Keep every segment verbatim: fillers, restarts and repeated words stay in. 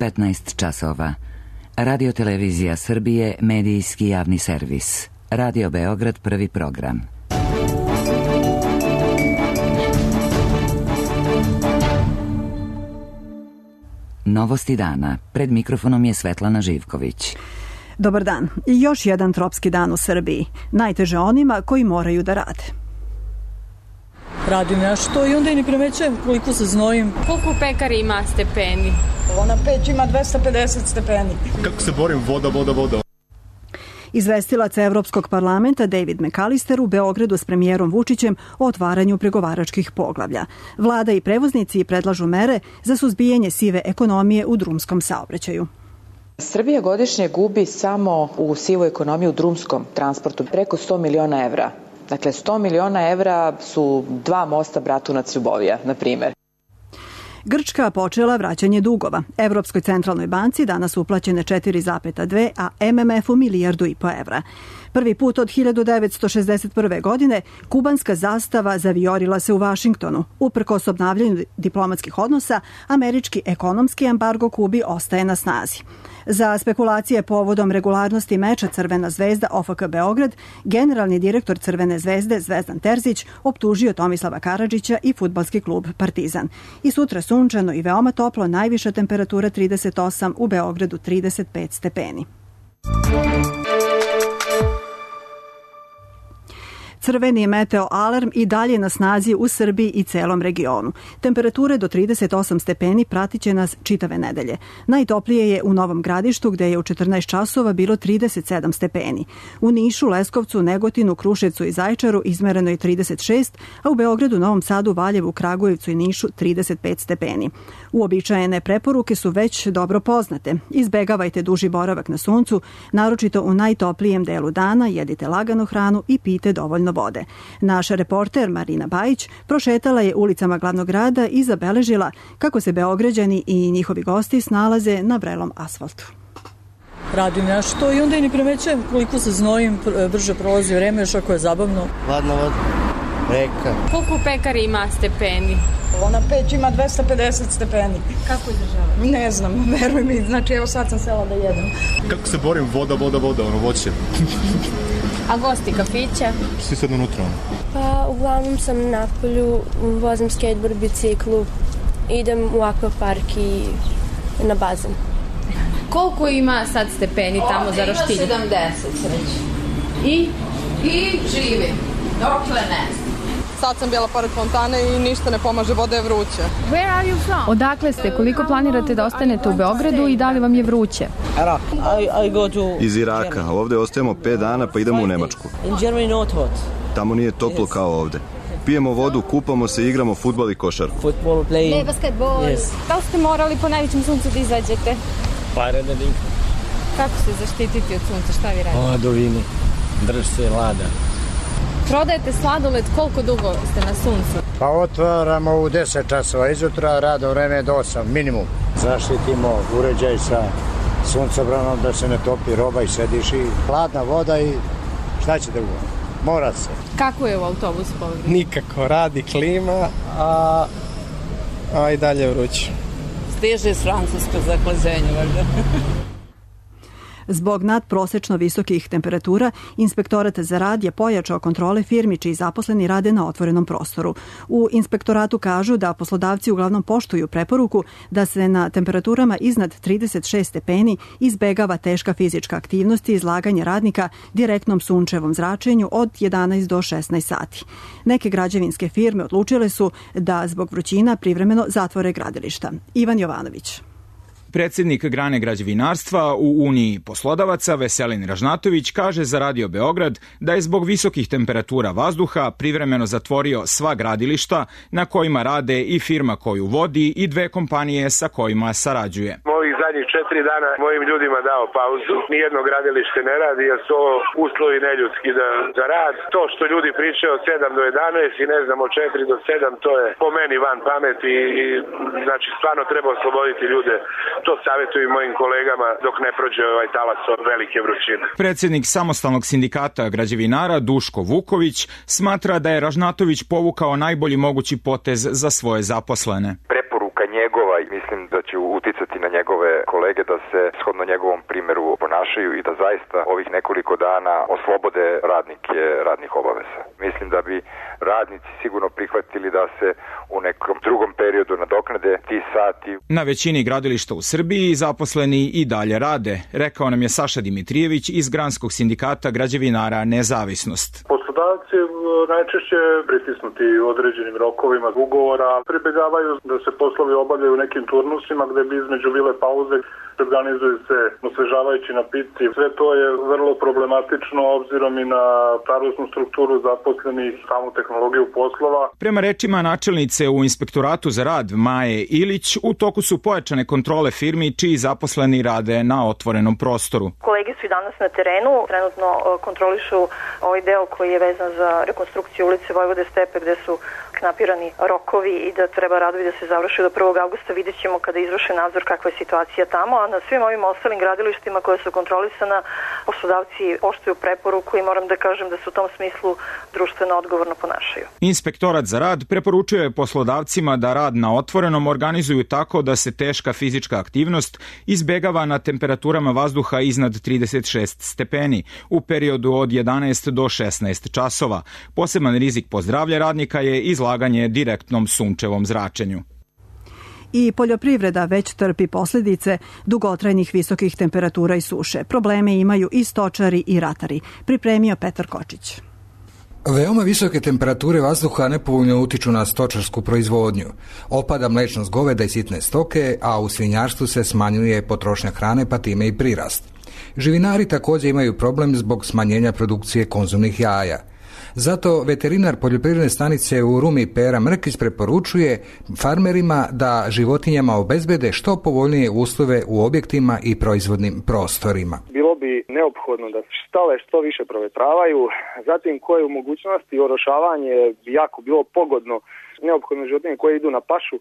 petnaest časova. Radio Televizija Srbije, medijski javni servis. Radio Beograd, prvi program. Novosti dana. Pred mikrofonom je Svetlana Živković. Dobar dan. I još jedan tropski dan u Srbiji. Najteže onima koji moraju da rade. Radim ja što i onda i ne primećujem koliko se znojim. Koliko u pekari ima stepeni? Ona peć ima dvesta pedeset stepeni. Kako se borim? Voda, voda, voda. Izvestilac Evropskog parlamenta David McAllister u Beogradu s premijerom Vučićem o otvaranju pregovaračkih poglavlja. Vlada i prevoznici predlažu mere za suzbijanje sive ekonomije u drumskom saobraćaju. Srbija godišnje gubi samo u sivoj ekonomiji u drumskom transportu preko sto miliona evra. Dakle, sto miliona evra su dva mosta Bratunac Ljubovija, na primer. Grčka počela vraćanje dugova. Evropskoj centralnoj banci danas uplaćene četiri zarez dve, a em em efu milijardu i po evra. Prvi put od hiljadu devetsto šezdeset prve. godine kubanska zastava zavijorila se u Vašingtonu. Uprkos obnavljanju diplomatskih odnosa, američki ekonomski embargo Kubi ostaje na snazi. Za spekulacije povodom regularnosti meča Crvena zvezda O F K Beograd, generalni direktor Crvene zvezde Zvezdan Terzić optužio Tomislava Karadžića i fudbalski klub Partizan. I sutra sunčano i veoma toplo, najviša temperatura trideset osam, u Beogradu trideset pet stepeni. Crveni meteo alarm i dalje na snazi u Srbiji i celom regionu. Temperature do trideset osam stepeni pratit će nas čitave nedelje. Najtoplije je u Novom Gradištu, gde je u četrnaest časova bilo trideset sedam stepeni. U Nišu, Leskovcu, Negotinu, Kruševcu i Zaječaru izmereno je trideset šest, a u Beogradu, Novom Sadu, Valjevu, Kragujevcu i Nišu trideset pet stepeni. Uobičajene preporuke su već dobro poznate. Izbegavajte duži boravak na suncu, naročito u najtoplijem delu dana, jedite laganu hranu i pijte dovoljno vode. Naša reporter Marina Bajić prošetala je ulicama glavnog grada i zabeležila kako se Beograđani i njihovi gosti snalaze na vrelom asfaltu. Radim ja što i onda i ne primećujem koliko se znojim, brže prolazi vreme, još ako je zabavno. Hladna voda, reka. Koliko u pekari ima stepeni? Ona peć ima dvesta pedeset stepeni. Kako izdržava? Ne znam, veruj mi, znači evo sad sam sela da jedem. Kako se borim? Voda, voda, voda, ono voće. A gosti kafića? Svi sad unutra. Pa uglavnom sam na polju, vozim skateboard, biciklu, idem u akvapark i na bazen. Koliko ima sad stepeni tamo za Roštilj? Ima sedamdeset sreći. I? I živim. Dokle ne znam. Sad sam bila pored fontane i ništa ne pomaže, voda je vruća. Where are you from? Odakle ste? Koliko planirate da ostanete u Beogradu i da li vam je vruće? I, I go to Iz Iraka. Ovde ostajemo pet dana pa idemo u Nemačku. In Germany not hot. Tamo nije toplo kao ovde. Pijemo vodu, kupamo se, igramo fudbal i košarku. Football playing. Ne, basketball. Yes. Da li ste morali po najvećem suncu da izađete? Paradadink. Kako se zaštititi od sunca? Šta vi radite? Hladovini. Drž se lada. Prodajete sladoled, koliko dugo ste na suncu? Pa otvaramo u deset časova izutra, radno vreme do osam, minimum. Zaštitimo uređaj sa suncobranom da se ne topi roba i sediš i hladna voda i šta će da bude? Mora se. Kako je u autobusu povredno? Nikako, radi klima, a, a i dalje vruće. Stiže iz Francuske za hlađenje, valjda. Zbog nadprosečno visokih temperatura, Inspektorat za rad je pojačao kontrole firmi čiji zaposleni rade na otvorenom prostoru. U inspektoratu kažu da poslodavci uglavnom poštuju preporuku da se na temperaturama iznad trideset šest stepeni izbegava teška fizička aktivnost i izlaganje radnika direktnom sunčevom zračenju od jedanaest do šesnaest sati. Neke građevinske firme odlučile su da zbog vrućina privremeno zatvore gradilišta. Ivan Jovanović. Predsednik grane građevinarstva u Uniji poslodavaca Veselin Ražnatović kaže za Radio Beograd da je zbog visokih temperatura vazduha privremeno zatvorio sva gradilišta na kojima rade i firma koju vodi i dve kompanije sa kojima sarađuje. Ovih zadnjih četiri dana mojim ljudima dao pauzu. Nijedno gradilište ne radi jer su uslovi neljudski da, za rad. To što ljudi pričaju od sedam do jedanaest i ne znam od četiri do sedam, to je po meni van pameti i znači stvarno treba osloboditi ljude. To savjetujem mojim kolegama dok ne prođe ovaj talas od velike vrućine. Predsednik samostalnog sindikata građevinara Duško Vuković smatra da je Ražnatović povukao najbolji mogući potez za svoje zaposlene. Preporuka njegova mislim da će uticati na njegove kolege da se shodno njegovom primjeru ponašaju i da zaista ovih nekoliko dana oslobode radnike radnih obaveza. Mislim da bi radnici sigurno prihvatili da se u nekom drugom periodu nadoknade ti sati. Na većini gradilišta u Srbiji zaposleni i dalje rade, rekao nam je Saša Dimitrijević iz Granskog sindikata građevinara Nezavisnost. Poslodavci najčešće pritisnuti određenim rokovima ugovora pribegavaju da se poslovi obavljaju u nekim turnusima gde bi između bile pauze organizuju se osvežavajući napici. Sve to je vrlo problematično obzirom i na starosnu strukturu zaposlenih, samu tehnologiju poslova. Prema rečima načelnice u Inspektoratu za rad Maje Ilić, u toku su pojačane kontrole firmi čiji zaposleni rade na otvorenom prostoru. Kolege su i danas na terenu, trenutno kontrolišu ovaj deo koji je vezan za rekonstrukciju ulice Vojvode Stepe gde su knapirani rokovi i da treba radovi da se završe do prvog avgusta. Vidjet ćemo kada izvrše nadzor kakva je situacija tamo, a na svim ovim ostalim gradilištima koje su kontrolisana poslodavci poštuju preporuku i moram da kažem da se u tom smislu društveno odgovorno ponašaju. Inspektorat za rad preporučuje poslodavcima da rad na otvorenom organizuju tako da se teška fizička aktivnost izbegava na temperaturama vazduha iznad trideset šest stepeni u periodu od jedanaest do šesnaest časova. Poseban rizik po zdravlje radnika je izlaganje direktnom sunčevom zračenju. I poljoprivreda već trpi posljedice dugotrajnih visokih temperatura i suše. Probleme imaju i stočari i ratari. Pripremio Petar Kočić. Veoma visoke temperature vazduha nepovoljno utiču na stočarsku proizvodnju. Opada mlečnost goveda i sitne stoke, a u svinjarstvu se smanjuje potrošnja hrane pa time i prirast. Živinari također imaju problem zbog smanjenja produkcije konzumnih jaja. Zato veterinar poljoprivredne stanice u Rumi Pera Mrkić preporučuje farmerima da životinjama obezbede što povoljnije uslove u objektima i proizvodnim prostorima. Bilo bi neophodno da štale što više provetravaju, zatim koje u mogućnosti orošavanje bi jako bilo pogodno, neophodno životinje koje idu na pašu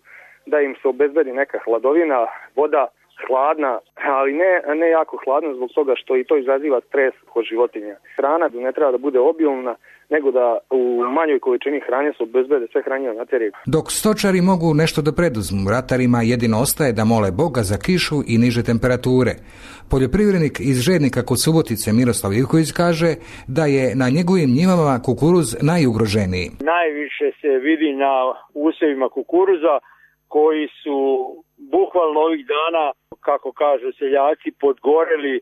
da im se obezbedi neka hladovina, voda hladna, ali ne, ne jako hladna zbog toga što i to izaziva stres kod životinja. Hrana ne treba da bude obilna, nego da u manjoj količini hrane se obezbede sve hranjive materije. Dok stočari mogu nešto da preduzmu, ratarima jedino ostaje da mole Boga za kišu i niže temperature. Poljoprivrednik iz Žednika kod Subotice Miroslav Ivković kaže da je na njegovim njivama kukuruz najugroženiji. Najviše se vidi na usjevima kukuruza koji su bukvalno ovih dana, kako kažu seljaci, podgoreli.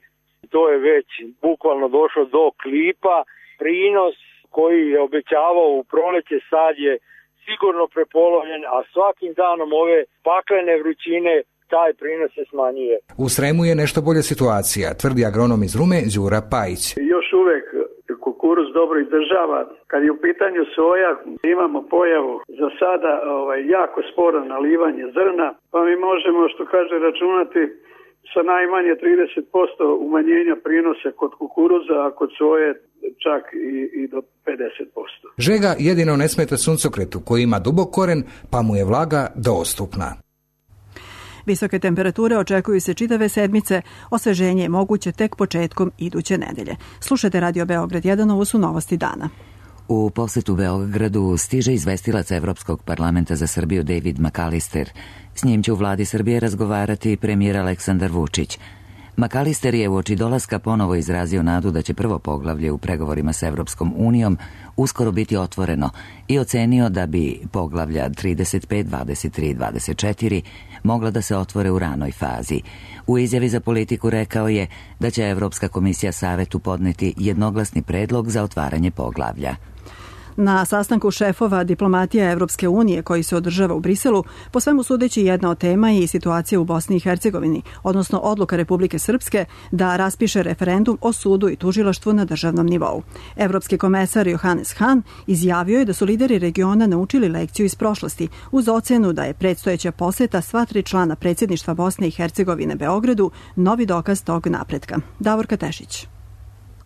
To je već bukvalno došlo do klipa. Prinos koji je obećavao u proleće sad je sigurno prepolovljen, a svakim danom ove paklene vrućine taj prinos se smanjuje. U Sremu je nešto bolja situacija, tvrdi agronom iz Rume Đura Pajić. Još uvek kukuruz dobro izdržava. Kad je u pitanju soja, imamo pojavu za sada ovaj, jako sporo nalivanje zrna, pa mi možemo, što kaže, računati sa najmanje trideset posto umanjenja prinosa kod kukuruza, a kod soje čak i, i do pedeset posto. Žega jedino ne smeta suncokretu koji ima dubok koren, pa mu je vlaga dostupna. Visoke temperature očekuju se čitave sedmice, osveženje je moguće tek početkom iduće nedelje. Slušajte Radio Beograd jedan, ovo su novosti dana. U posetu Beogradu stiže izvestilac Evropskog parlamenta za Srbiju David McAllister. S njim će u vladi Srbije razgovarati premijer Aleksandar Vučić. McAllister je uoči dolaska ponovo izrazio nadu da će prvo poglavlje u pregovorima s Evropskom unijom uskoro biti otvoreno i ocenio da bi poglavlja trideset pet, dvadeset tri i dvadeset četiri mogla da se otvore u ranoj fazi. U izjavi za Politiku rekao je da će Evropska komisija Savetu podneti jednoglasni predlog za otvaranje poglavlja. Na sastanku šefova diplomatija Evropske unije koji se održava u Briselu, po svemu sudeći jedna od tema je i situacija u Bosni i Hercegovini, odnosno odluka Republike Srpske da raspiše referendum o sudu i tužilaštvu na državnom nivou. Evropski komesar Johannes Hahn izjavio je da su lideri regiona naučili lekciju iz prošlosti uz ocenu da je predstojeća poseta sva tri člana predsjedništva Bosne i Hercegovine Beogradu novi dokaz tog napretka. Davorka Tešić.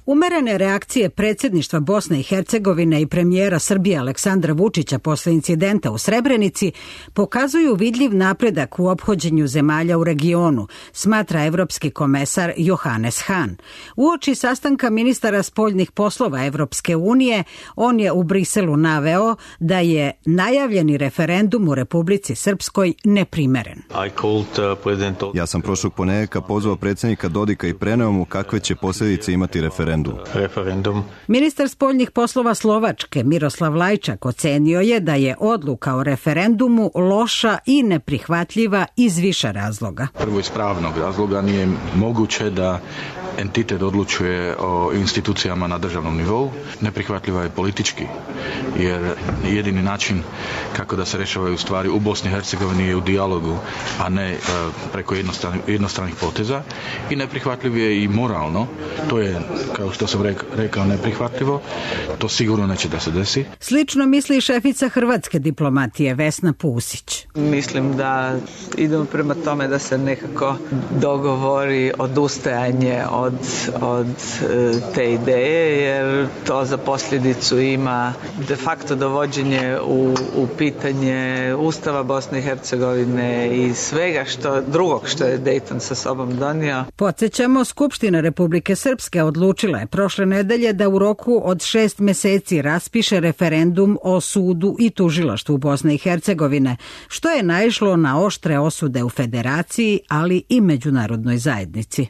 Umerene reakcije predsjedništva Bosne i Hercegovine i premijera Srbije Aleksandra Vučića posle incidenta u Srebrenici pokazuju vidljiv napredak u ophođenju zemalja u regionu, smatra evropski komesar Johannes Hahn. Uoči sastanka ministara spoljnih poslova Evropske unije, on je u Briselu naveo da je najavljeni referendum u Republici Srpskoj neprimeren. Ja sam prošlog ponedjeljka pozvao predsjednika Dodika i preneo mu kakve će posljedice imati referendum. Referendum. Ministar spoljnih poslova Slovačke Miroslav Lajčak ocenio je da je odluka o referendumu loša i neprihvatljiva iz više razloga. Prvo iz pravnog razloga nije moguće da entitet odlučuje o institucijama na državnom nivou. Neprihvatljiva je politički, jer jedini način kako da se rješavaju stvari u Bosni i Hercegovini je u dijalogu, a ne preko jednostranih poteza. I neprihvatljiv je i moralno. To je, kao što sam rekao, neprihvatljivo. To sigurno neće da se desi. Slično misli šefica hrvatske diplomatije Vesna Pusić. Mislim da idemo prema tome da se nekako dogovori odustajanje od, od te ideje, jer to za posljedicu ima de facto dovođenje u, u pitanje Ustava Bosne i Hercegovine i svega što drugog što je Dayton sa sobom donio. Podsjećamo, Skupština Republike Srpske odlučila je prošle nedelje da u roku od šest meseci raspiše referendum o sudu i tužilaštvu Bosne i Hercegovine, što je naišlo na oštre osude u Federaciji, ali i međunarodnoj zajednici.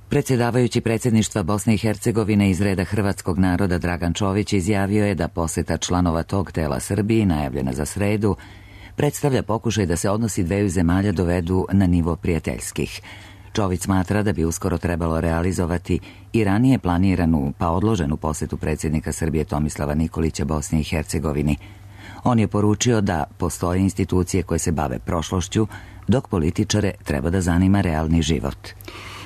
Predsjedavajući predsjedništva Bosne i Hercegovine iz reda hrvatskog naroda Dragan Čović izjavio je da posjeta članova tog tela Srbiji, najavljena za sredu, predstavlja pokušaj da se odnosi dveju zemalja dovedu na nivo prijateljskih. Čović smatra da bi uskoro trebalo realizovati i ranije planiranu pa odloženu posjetu predsjednika Srbije Tomislava Nikolića Bosni i Hercegovini. On je poručio da postoje institucije koje se bave prošlošću, dok političare treba da zanima realni život.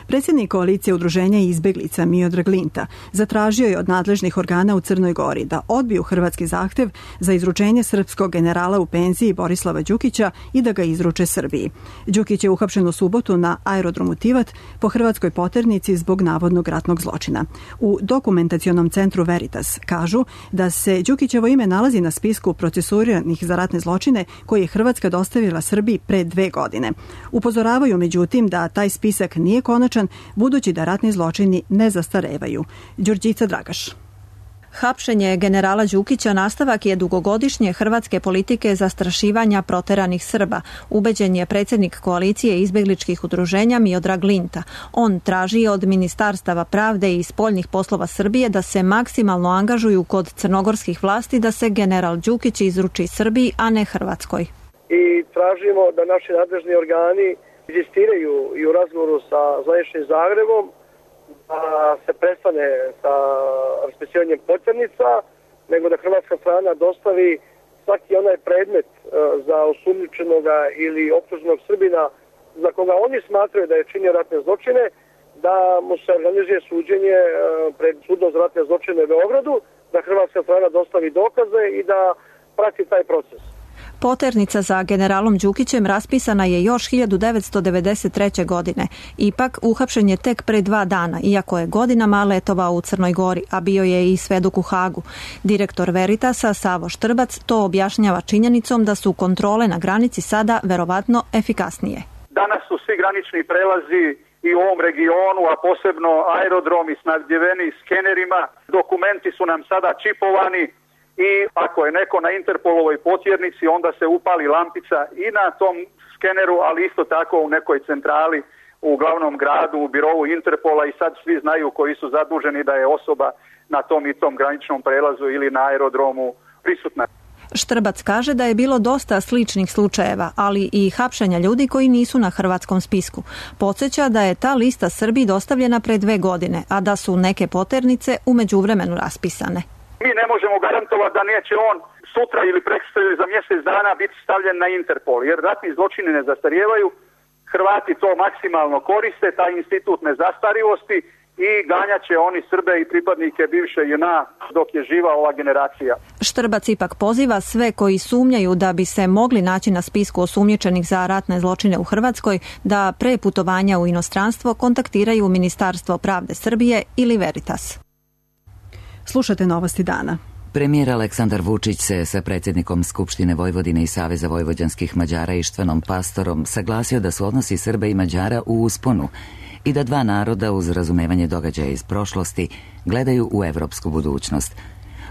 Predsjednik koalicije udruženja izbeglica Miodrag Linta zatražio je od nadležnih organa u Crnoj Gori da odbiju hrvatski zahtev za izručenje srpskog generala u penziji Borislava Đukića i da ga izruče Srbiji. Đukić je uhapšen u subotu na aerodromu Tivat po hrvatskoj poternici zbog navodnog ratnog zločina. U dokumentacionom centru Veritas kažu da se Đukićevo ime nalazi na spisku procesuiranih za ratne zločine koji je Hrvatska dostavila Srbiji pre dve godine. Upozoravaju međutim da taj spisak nije konačan, budući da ratni zločini ne zastarevaju. Đurđica Dragaš. Hapšenje generala Đukića nastavak je dugogodišnje hrvatske politike zastrašivanja proteranih Srba, ubeđen je predsjednik koalicije izbegličkih udruženja Miodrag Linta. On traži od ministarstava pravde i spoljnih poslova Srbije da se maksimalno angažuju kod crnogorskih vlasti da se general Đukić izruči Srbiji, a ne Hrvatskoj. I tražimo da naši nadležni organi inzistiraju i u razgovoru sa zvaničnim Zagrebom da se prestane sa raspisivanjem poternica, nego da hrvatska strana dostavi svaki onaj predmet za osumnjičenoga ili optuženog Srbina za koga oni smatraju da je činio ratne zločine, da mu se organizuje suđenje pred sudom za ratne zločine u Beogradu, da hrvatska strana dostavi dokaze i da prati taj proces. Poternica za generalom Đukićem raspisana je još hiljadu devetsto devedeset treće. godine. Ipak, uhapšen je tek pre dva dana, iako je godinama letovao u Crnoj Gori, a bio je i svedok u Hagu. Direktor Veritasa, Savo Štrbac, to objašnjava činjenicom da su kontrole na granici sada verovatno efikasnije. Danas su svi granični prelazi i u ovom regionu, a posebno aerodromi snabdjeveni skenerima. Dokumenti su nam sada čipovani. I ako je neko na Interpolovoj potjernici, onda se upali lampica i na tom skeneru, ali isto tako u nekoj centrali u glavnom gradu, u birovu Interpola, i sad svi znaju koji su zaduženi da je osoba na tom i tom graničnom prelazu ili na aerodromu prisutna. Štrbac kaže da je bilo dosta sličnih slučajeva, ali i hapšenja ljudi koji nisu na hrvatskom spisku. Podsjeća da je ta lista Srbiji dostavljena pre dve godine, a da su neke poternice u međuvremenu raspisane. Mi ne možemo garantovati da neće on sutra ili prekosutra ili za mjesec dana biti stavljen na Interpol, jer ratni zločini ne zastarijevaju. Hrvati to maksimalno koriste, taj institut nezastarivosti, i ganjaće oni Srbe i pripadnike bivše J N A dok je živa ova generacija. Štrbac ipak poziva sve koji sumnjaju da bi se mogli naći na spisku osumnjičenih za ratne zločine u Hrvatskoj da pre putovanja u inostranstvo kontaktiraju Ministarstvo pravde Srbije ili Veritas. Slušate novosti dana. Premijer Aleksandar Vučić se sa predsjednikom Skupštine Vojvodine i Saveza vojvođanskih Mađara Ištvanom Pastorom saglasio da su odnosi Srba i Mađara u usponu i da dva naroda uz razumevanje događaja iz prošlosti gledaju u evropsku budućnost.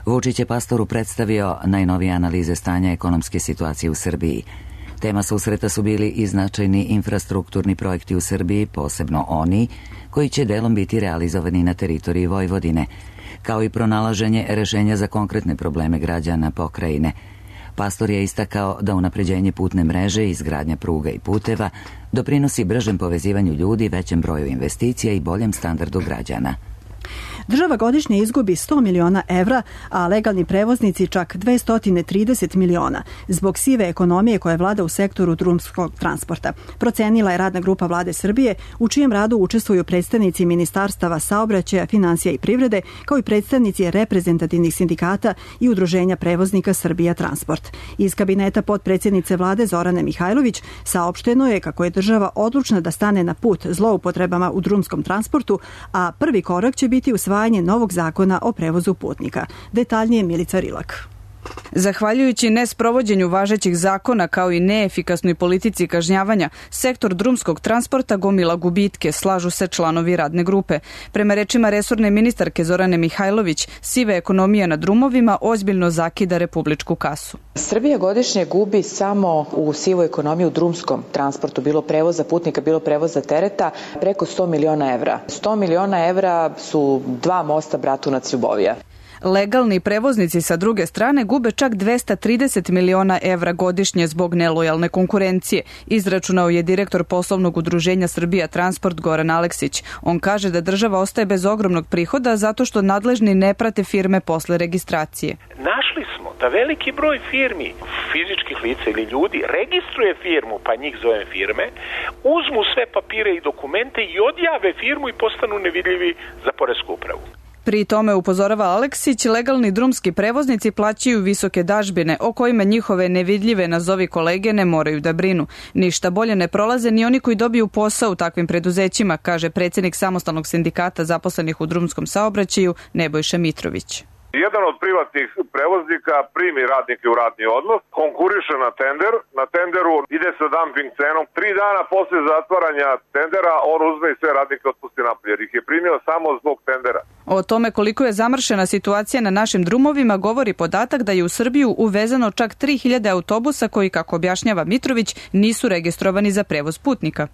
Vučić je Pastoru predstavio najnovije analize stanja ekonomske situacije u Srbiji. Tema susreta su bili i značajni infrastrukturni projekti u Srbiji, posebno oni koji će delom biti realizovani na teritoriji Vojvodine, kao i pronalaženje rešenja za konkretne probleme građana pokrajine. Pastor je istakao da unapređenje putne mreže i izgradnja pruga i puteva doprinosi bržem povezivanju ljudi, većem broju investicija i boljem standardu građana. Država godišnje izgubi sto miliona evra, a legalni prevoznici čak dvesta trideset miliona zbog sive ekonomije koja vlada u sektoru drumskog transporta. Procenila je radna grupa Vlade Srbije, u čijem radu učestvuju predstavnici ministarstava saobraćaja, finansija i privrede, kao i predstavnici reprezentativnih sindikata i udruženja prevoznika Srbija Transport. Iz kabineta potpredsjednice Vlade Zorane Mihajlović saopšteno je kako je država odlučna da stane na put zloupotrebama u drumskom transportu, a prvi korak će biti usvajanje novog zakona o prevozu putnika. Detaljnije Milica Rilak. Zahvaljujući nesprovođenju važećih zakona kao i neefikasnoj politici kažnjavanja, sektor drumskog transporta gomila gubitke, slažu se članovi radne grupe. Prema rečima resorne ministarke Zorane Mihajlović, siva ekonomija na drumovima ozbiljno zakida republičku kasu. Srbija godišnje gubi samo u sivoj ekonomiji u drumskom transportu, bilo prevoza putnika, bilo prevoza tereta, preko sto miliona evra. sto miliona evra su dva mosta Bratunac-Ljubovija. Legalni prevoznici sa druge strane gube čak dvesta trideset miliona evra godišnje zbog nelojalne konkurencije, izračunao je direktor poslovnog udruženja Srbija Transport Goran Aleksić. On kaže da država ostaje bez ogromnog prihoda zato što nadležni ne prate firme posle registracije. Našli smo da veliki broj firmi, fizičkih lica ili ljudi, registruje firmu, pa njih zove firme, uzmu sve papire i dokumente i odjave firmu i postanu nevidljivi za poresku upravu. Pri tome, upozorava Aleksić, legalni drumski prevoznici plaćaju visoke dažbine o kojima njihove nevidljive nazovi kolege ne moraju da brinu. Ništa bolje ne prolaze ni oni koji dobiju posao u takvim preduzećima, kaže predsjednik samostalnog sindikata zaposlenih u drumskom saobraćaju Nebojša Mitrović. Jedan od privatnih prevoznika primi radnike u radni odnos, konkuriše na tender, na tenderu ide sa dumping cenom, tri dana posle zatvaranja tendera on uzme i sve radnike otpusti napolje, jer ih je primio samo zbog tendera. O tome koliko je zamršena situacija na našim drumovima govori podatak da je u Srbiju uvezano čak tri hiljade autobusa koji, kako objašnjava Mitrović, nisu registrovani za prevoz putnika.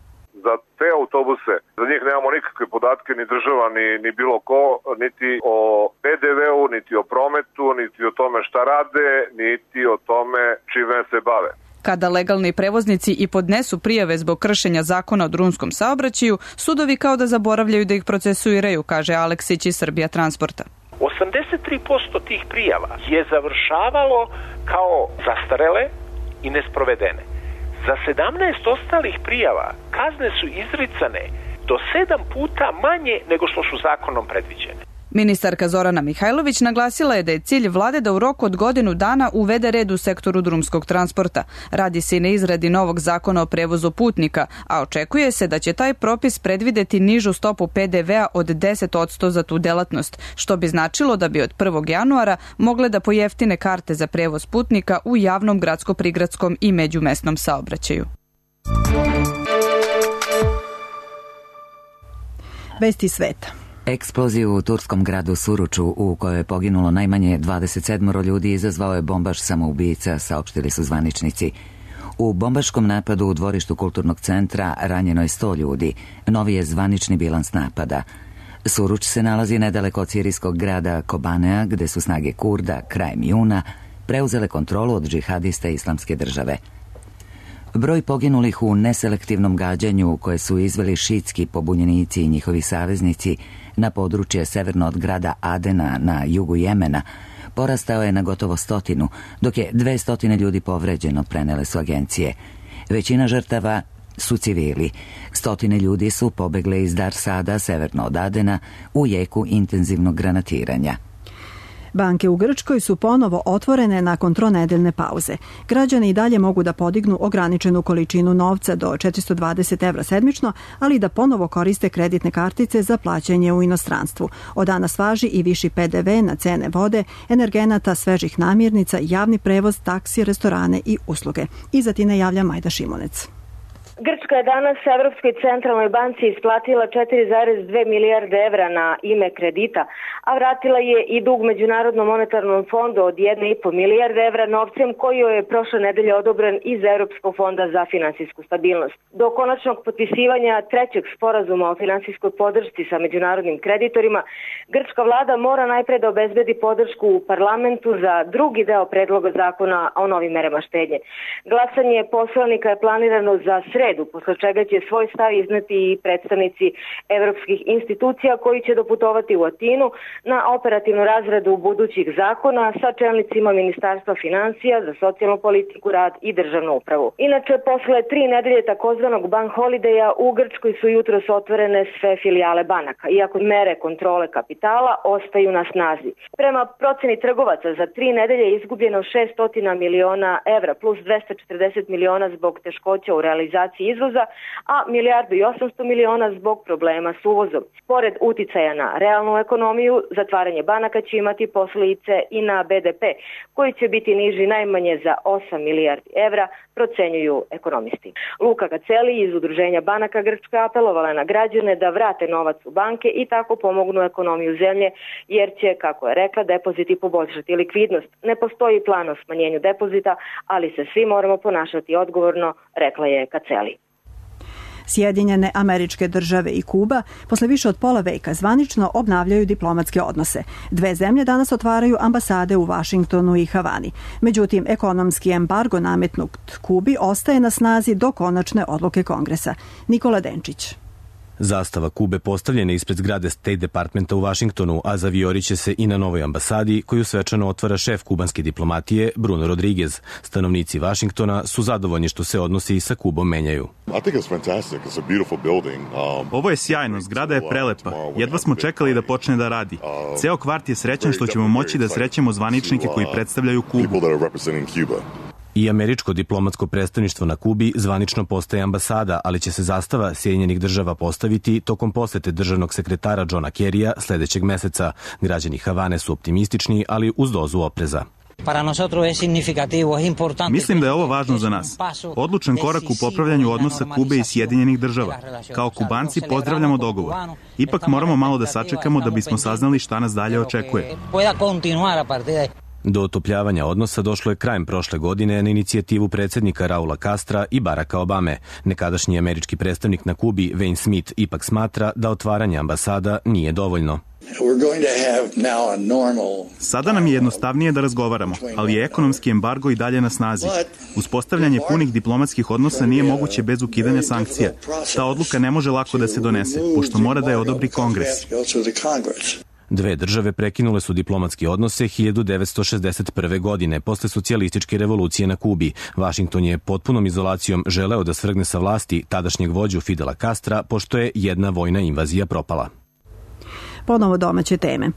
Za te autobuse, za njih nemamo nikakve podatke, ni država, ni, ni bilo ko, niti o P D V-u, niti o prometu, niti o tome šta rade, niti o tome čime se bave. Kada legalni prevoznici i podnesu prijave zbog kršenja zakona o drumskom saobraćaju, sudovi kao da zaboravljaju da ih procesuiraju, kaže Aleksić iz Srbija Transporta. osamdeset tri posto tih prijava je završavalo kao zastarele i nesprovedene. Za sedamnaest ostalih prijava kazne su izricane do sedam puta manje nego što su zakonom predviđene. Ministarka Zorana Mihajlović naglasila je da je cilj vlade da u roku od godinu dana uvede red u sektoru drumskog transporta. Radi se i na izradi novog zakona o prevozu putnika, a očekuje se da će taj propis predvideti nižu stopu P D V-a od deset posto za tu delatnost, što bi značilo da bi od prvog januara mogle da pojeftine karte za prevoz putnika u javnom gradsko-prigradskom i međumesnom saobraćaju. Vesti sveta. Eksploziju u turskom gradu Suruču, u kojoj je poginulo najmanje dvadeset sedam ljudi, izazvao je bombaš samoubica, saopštili su zvaničnici. U bombaškom napadu u dvorištu kulturnog centra ranjeno je sto ljudi. Novi je zvanični bilans napada. Suruč se nalazi nedaleko od sirijskog grada Kobanea, gde su snage Kurda krajem juna preuzele kontrolu od džihadista Islamske države. Broj poginulih u neselektivnom gađanju koje su izveli šiitski pobunjenici i njihovi saveznici na područje severno od grada Adena na jugu Jemena porastao je na gotovo stotinu, dok je dve stotine ljudi povređeno, prenele su agencije. Većina žrtava su civili. Stotine ljudi su pobegle iz Dar Sada, severno od Adena, u jeku intenzivnog granatiranja. Banke u Grčkoj su ponovo otvorene nakon tronedeljne pauze. Građani i dalje mogu da podignu ograničenu količinu novca do četiristo dvadeset evra sedmično, ali i da ponovo koriste kreditne kartice za plaćanje u inostranstvu. Od danas važi i viši P D V na cene vode, energenata, svežih namirnica, javni prevoz, taksi, restorane i usluge. Iza Tine javlja Majda Šimunec. Grčka je danas Evropskoj centralnoj banci isplatila četiri zarez dve milijarde evra na ime kredita, a vratila je i dug Međunarodnom monetarnom fondu od jedne i po milijarde evra novcem koji joj je prošle nedelje odobren iz Europskog fonda za finansijsku stabilnost. Do konačnog potpisivanja trećeg sporazuma o finansijskoj podršci sa međunarodnim kreditorima, grčka vlada mora najpre da obezbedi podršku u parlamentu za drugi deo predloga zakona o novim merama štednje. Glasanje poslanika je planirano za sredu, posle čega će svoj stav izneti i predstavnici evropskih institucija koji će doputovati u Atinu na operativnu razradu budućih zakona sa čelnicima Ministarstva financija za socijalnu politiku, rad i državnu upravu. Inače, posle tri nedelje takozvanog bank holideja u Grčkoj su jutros otvorene sve filijale banaka, iako mere kontrole kapitala ostaju na snazi. Prema proceni trgovaca, za tri nedelje je izgubljeno šessto miliona evra plus dvesta četrdeset miliona zbog teškoća u realizaciji izvoza, a milijardu i osamsto miliona zbog problema s uvozom. Pored uticaja na realnu ekonomiju, zatvaranje banaka će imati posljedice i na B D P, koji će biti niži najmanje za osam milijardi evra, procenjuju ekonomisti. Luka Gaceli iz Udruženja banaka Grčka apelovala na građane da vrate novac u banke i tako pomognu ekonomiju zemlje, jer će, kako je rekla, depoziti poboljšati likvidnost. Ne postoji plan o smanjenju depozita, ali se svi moramo ponašati odgovorno, rekla je Gaceli. Sjedinjene Američke Države i Kuba posle više od pola veka zvanično obnavljaju diplomatske odnose. Dve zemlje danas otvaraju ambasade u Vašingtonu i Havani. Međutim, ekonomski embargo nametnut Kubi ostaje na snazi do konačne odluke Kongresa. Nikola Denčić. Zastava Kube postavljena ispred zgrade State Departmenta u Vašingtonu, a zavijoriće se i na novoj ambasadi koju svečano otvara šef kubanske diplomatije Bruno Rodriguez. Stanovnici Vašingtona su zadovoljni što se odnosi sa Kubom menjaju. Ovo je sjajno, zgrada je prelepa. Jedva smo čekali da počne da radi. Ceo kvart je srećan što ćemo moći da srećemo zvaničnike koji predstavljaju Kubu. I američko diplomatsko predstavništvo na Kubi zvanično postaje ambasada, ali će se zastava Sjedinjenih država postaviti tokom posete državnog sekretara Johna Kerrya sledećeg meseca. Građani Havane su optimistični, ali uz dozu opreza. Mislim da je ovo važno za nas. Odlučan korak u popravljanju odnosa Kube i Sjedinjenih država. Kao Kubanci pozdravljamo dogovor. Ipak moramo malo da sačekamo da bismo saznali šta nas dalje očekuje. Do otopljavanja odnosa došlo je krajem prošle godine na inicijativu predsjednika Raula Castra i Baracka Obame. Nekadašnji američki predstavnik na Kubi, Wayne Smith, ipak smatra da otvaranje ambasada nije dovoljno. Sada nam je jednostavnije da razgovaramo, ali je ekonomski embargo i dalje na snazi. Uspostavljanje punih diplomatskih odnosa nije moguće bez ukidanja sankcija. Ta odluka ne može lako da se donese, pošto mora da je odobri Kongres. Dve države prekinule su diplomatske odnose hiljadu devetsto šezdeset prve. godine, posle socijalističke revolucije na Kubi. Vašington je potpunom izolacijom želeo da svrgne sa vlasti tadašnjeg vođu Fidela Castra, pošto je jedna vojna invazija propala. Ponovo domaće teme.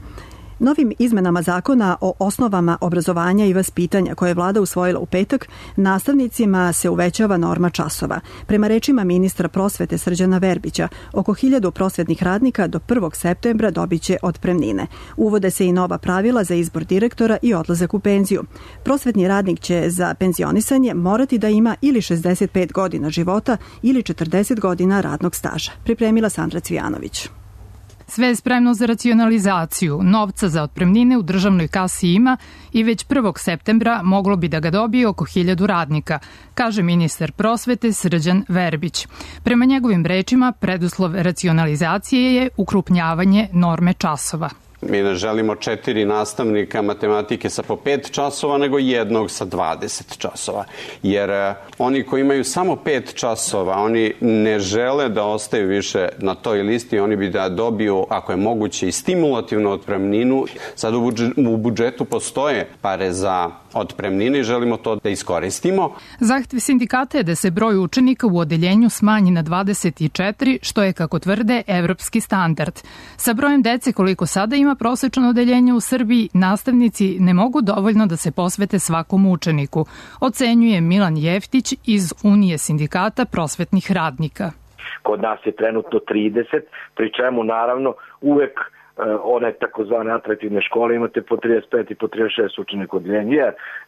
Novim izmenama zakona o osnovama obrazovanja i vaspitanja koje je vlada usvojila u petak, nastavnicima se uvećava norma časova. Prema rečima ministra prosvete Srđana Verbića, oko hiljadu prosvetnih radnika do prvog septembra dobiće otpremnine. Uvode se i nova pravila za izbor direktora i odlazak u penziju. Prosvetni radnik će za penzionisanje morati da ima ili šezdeset pet godina života ili četrdeset godina radnog staža. Pripremila Sandra Cvijanović. Sve je spremno za racionalizaciju. Novca za otpremnine u državnoj kasi ima i već prvog septembra moglo bi da ga dobije oko hiljadu radnika, kaže ministar prosvete Srđan Verbić. Prema njegovim rečima, preduslov racionalizacije je ukrupnjavanje norme časova. Mi ne želimo četiri nastavnika matematike sa po pet časova, nego jednog sa dvadeset časova. Jer oni koji imaju samo pet časova, oni ne žele da ostaju više na toj listi, oni bi da dobiju, ako je moguće, i stimulativnu otpremninu. Sad u budžetu postoje pare za otpremnine i želimo to da iskoristimo. Zahtev sindikata je da se broj učenika u odeljenju smanji na dvadeset četiri, što je, kako tvrde, evropski standard. Sa brojem dece koliko sada ima prosečno odeljenje u Srbiji, nastavnici ne mogu dovoljno da se posvete svakom učeniku, ocenjuje Milan Jeftić iz Unije sindikata prosvetnih radnika. Kod nas je trenutno trideset, pri čemu naravno uvek one takozvane atraktivne škole imate po trideset pet i po trideset šest učenika odeljenja,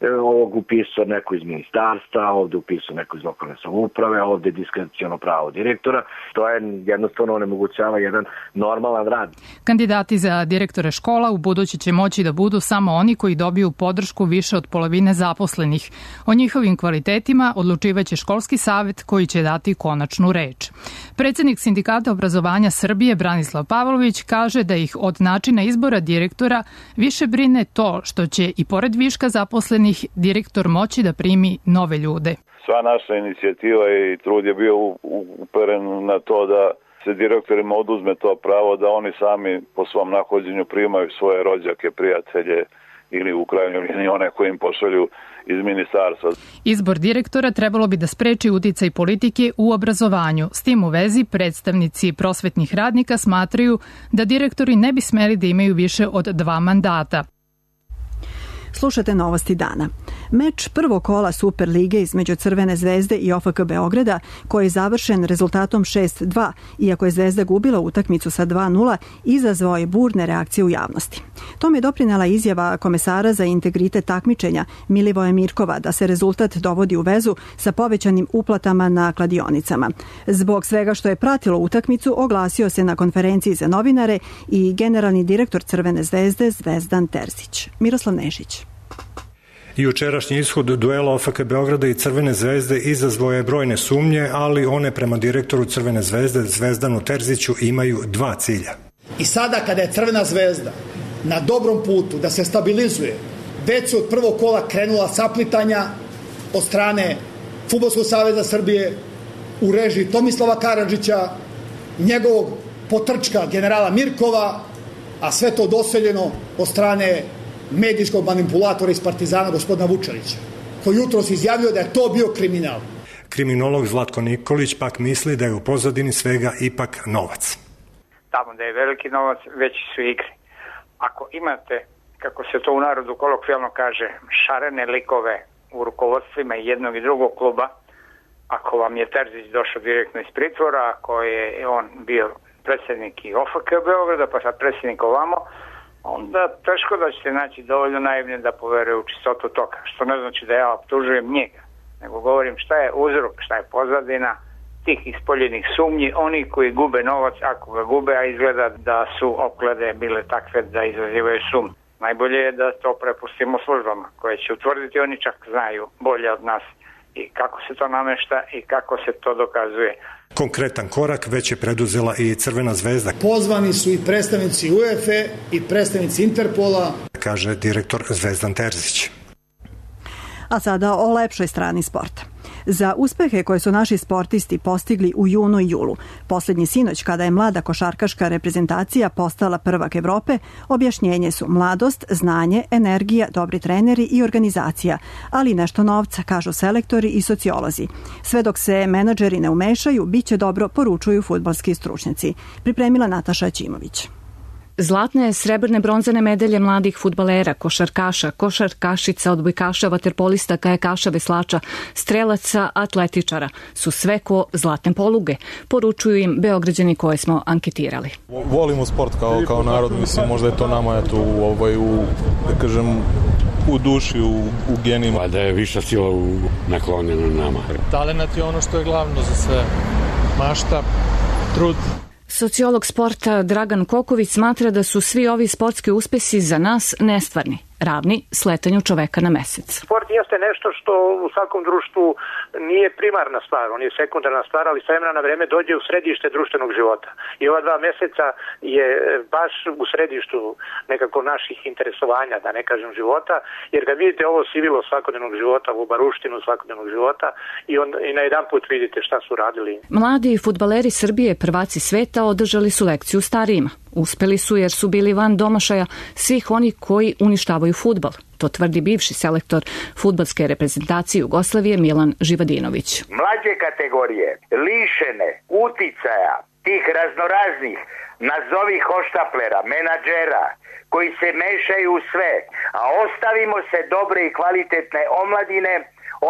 jer ovog upisao neko iz ministarstva, ovde upisao neko iz lokalne samouprave, ovde diskreciono pravo direktora. To je jednostavno onemogućava jedan normalan rad. Kandidati za direktore škola u budući će moći da budu samo oni koji dobiju podršku više od polovine zaposlenih. O njihovim kvalitetima odlučivaće školski savet koji će dati konačnu reč. Predsednik Sindikata obrazovanja Srbije Branislav Pavlović kaže da ih od načina izbora direktora više brine to što će i pored viška zaposlenih direktor moći da primi nove ljude. Sva naša inicijativa i trud je bio uperen na to da se direktorima oduzme to pravo da oni sami po svom nahođenju primaju svoje rođake, prijatelje ili u krajnjoj liniji one koji im pošalju iz ministarstva. Izbor direktora trebalo bi da spreči uticaj politike u obrazovanju. S tim u vezi predstavnici prosvetnih radnika smatraju da direktori ne bi smeli da imaju više od dva mandata. Slušate novosti dana. Meč prvog kola Superlige između Crvene zvezde i O F K Beograda, koji je završen rezultatom šest dva, iako je Zvezda gubila utakmicu sa dva nula, izazvao je burne reakcije u javnosti. Tome je doprinela izjava komesara za integritet takmičenja Milivoja Mirkova da se rezultat dovodi u vezu sa povećanim uplatama na kladionicama. Zbog svega što je pratilo utakmicu, oglasio se na konferenciji za novinare i generalni direktor Crvene zvezde Zvezdan Terzić. Miroslav Nešić. Jučerašnji ishod duela O F K Beograda i Crvene zvezde izazvao je brojne sumnje, ali one prema direktoru Crvene zvezde Zvezdanu Terziću imaju dva cilja. I sada kada je Crvena zvezda na dobrom putu da se stabilizuje, već su od prvog kola krenula saplitanja od strane Fudbalskog saveza Srbije u režiji Tomislava Karadžića, njegovog potrčka generala Mirkova, a sve to doseljeno od strane medijskog manipulatora iz Partizana gospodina Vučelića, koji jutros izjavio da je to bio kriminal. Kriminolog Zlatko Nikolić pak misli da je u pozadini svega ipak novac. Tamo da je veliki novac, veći su igre. Ako imate, kako se to u narodu kolokvijalno kaže, šarene likove u rukovodstvima jednog i drugog kluba, ako vam je Terzić došao direktno iz pritvora, ako je on bio predsjednik i O F K Beograda, pa sad predsjednik ovamo, onda teško da ćete naći dovoljno naivne da poveruje u čistotu toga. Što ne znači da ja optužujem njega, nego govorim šta je uzrok, šta je pozadina tih ispoljenih sumnji, oni koji gube novac, ako ga gube, a izgleda da su opklade bile takve da izazivaju sum. Najbolje je da to prepustimo službama, koje će utvrditi, oni čak znaju bolje od nas i kako se to namešta i kako se to dokazuje. Konkretan korak već je preduzela i Crvena zvezda. Pozvani su i predstavnici UEFA i predstavnici Interpola, kaže direktor Zvezdan Terzić. A sada o lepšoj strani sporta. Za uspehe koje su naši sportisti postigli u junu i julu, posljednji sinoć kada je mlada košarkaška reprezentacija postala prvak Evrope, objašnjenje su mladost, znanje, energija, dobri treneri i organizacija, ali nešto novca, kažu selektori i sociolozi. Sve dok se menadžeri ne umešaju, bit će dobro, poručuju fudbalski stručnjaci. Pripremila Nataša Ćimović. Zlatne, srebrne, bronzane medalje mladih fudbalera, košarkaša, košarkašica, odbojkaša, vaterpolista, kajakaša, veslača, strelaca, atletičara su sve ko zlatne poluge, poručuju im Beograđani koje smo anketirali. Volimo sport kao, kao narod, mislim, možda je to nama eto, u, ovaj, u, da kažem, u duši, u, u genima. Da je viša sila u naklonjena nama. Talenat je ono što je glavno za sve. Mašta, trud. Sociolog sporta Dragan Koković smatra da su svi ovi sportski uspesi za nas nestvarni, ravni sletanju čoveka na mesec. Sport jeste nešto što u svakom društvu nije primarna stvar, on je sekundarna stvar, ali s vremena na vreme dođe u središte društvenog života. I ova dva meseca je baš u središtu nekako naših interesovanja, da ne kažem života, jer kad vidite ovo sivilo svakodnevnog života, ovu baruštinu svakodnevnog života i, on, i na jedan put vidite šta su radili. Mladi fudbaleri Srbije, prvaci sveta, održali su lekciju starijima. Uspeli su jer su bili van domašaja svih oni koji uništavaju fudbal. To tvrdi bivši selektor fudbalske reprezentacije Jugoslavije Milan Živadinović. Mlađe kategorije, lišene uticaja tih raznoraznih, nazovi hoštaplera, menadžera, koji se mešaju u sve, a ostavimo se dobre i kvalitetne omladine,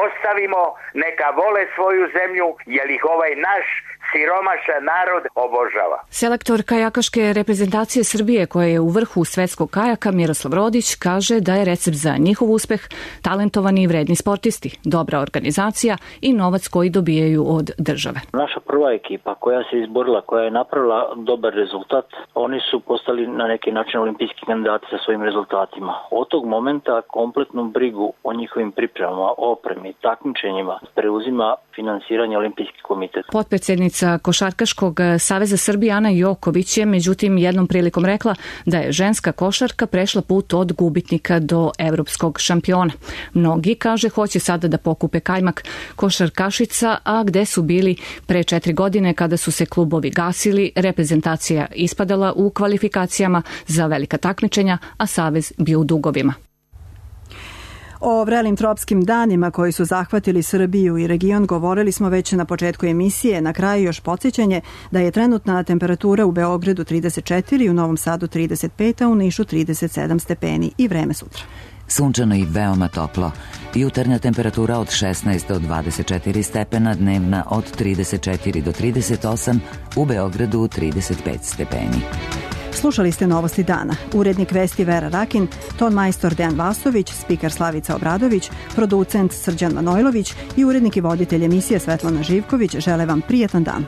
ostavimo neka vole svoju zemlju, jer ih ovaj naš siromašan narod obožava. Selektor kajakaške reprezentacije Srbije, koja je u vrhu svetskog kajaka, Miroslav Rodić, kaže da je recept za njihov uspeh talentovani i vredni sportisti, dobra organizacija i novac koji dobijaju od države. Naša prva ekipa koja se izborila, koja je napravila dobar rezultat, oni su postali na neki način olimpijski kandidati sa svojim rezultatima. Od tog momenta kompletnu brigu o njihovim pripremama, opremi, takmičenjima preuzima finansiranje Olimpijski komitet. Potpredsednica Košarkaškog saveza Srbije Ana Joković je međutim jednom prilikom rekla da je ženska košarka prešla put od gubitnika do evropskog šampiona. Mnogi, kaže, hoće sada da pokupe kajmak košarkašica, a gde su bili pre četiri godine kada su se klubovi gasili, reprezentacija ispadala u kvalifikacijama za velika takmičenja, a savez bio u dugovima. O vrelim tropskim danima koji su zahvatili Srbiju i region govorili smo već na početku emisije. Na kraju još podsjećanje da je trenutna temperatura u Beogradu trideset četiri, u Novom Sadu trideset pet, a u Nišu trideset sedam stepeni i vreme sutra. Sunčano i veoma toplo. Jutarnja temperatura od šesnaest do dvadeset četiri stepena, dnevna od trideset četiri do trideset osam, u Beogradu trideset pet stepeni. Slušali ste Novosti dana. Urednik vesti Vera Rakin, ton majstor Dejan Vasović, spiker Slavica Obradović, producent Srđan Manojlović i urednik i voditelj emisije Svetlana Živković žele vam prijetan dan.